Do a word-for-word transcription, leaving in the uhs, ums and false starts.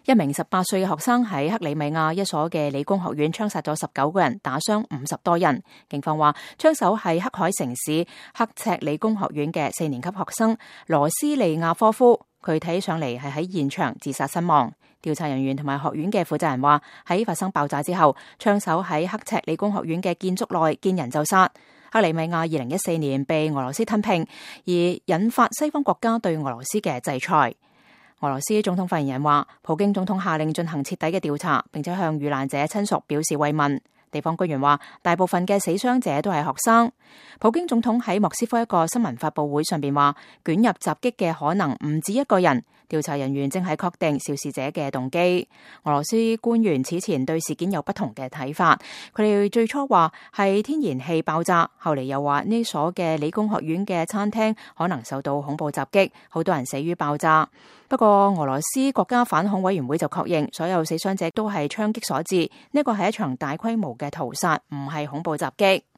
一名十八歲嘅學生喺克里米亞一所嘅理工學院槍殺咗十九個人，打傷五十多人。警方話，槍手係黑海城市刻赤理工學院嘅四年級學生羅斯利亞科夫，佢睇上嚟係喺現場自殺身亡。調查人員同埋學院嘅負責人話，喺發生爆炸之後，槍手喺刻赤理工學院嘅建築內見人就殺。克里米亞二零一四年被俄羅斯吞併，而引發西方國家對俄羅斯嘅制裁。俄羅斯總統發言人話，普京總統下令進行徹底嘅調查，並且向遇難者親屬表示慰問。地方官員話，大部分嘅死傷者都係學生。普京總統喺莫斯科一個新聞發佈會上邊話，捲入襲擊嘅可能唔止一個人，調查人員正係確定肇事者嘅動機。俄羅斯官員此前對事件有不同嘅睇法，佢哋最初話係天然氣爆炸，後嚟又話呢所嘅理工學院嘅餐廳可能受到恐怖襲擊，好多人死於爆炸。不過俄羅斯國家反恐委員會就確認，所有死傷者都係槍擊所致，呢個係一場大規模嘅屠殺，唔係恐怖襲擊。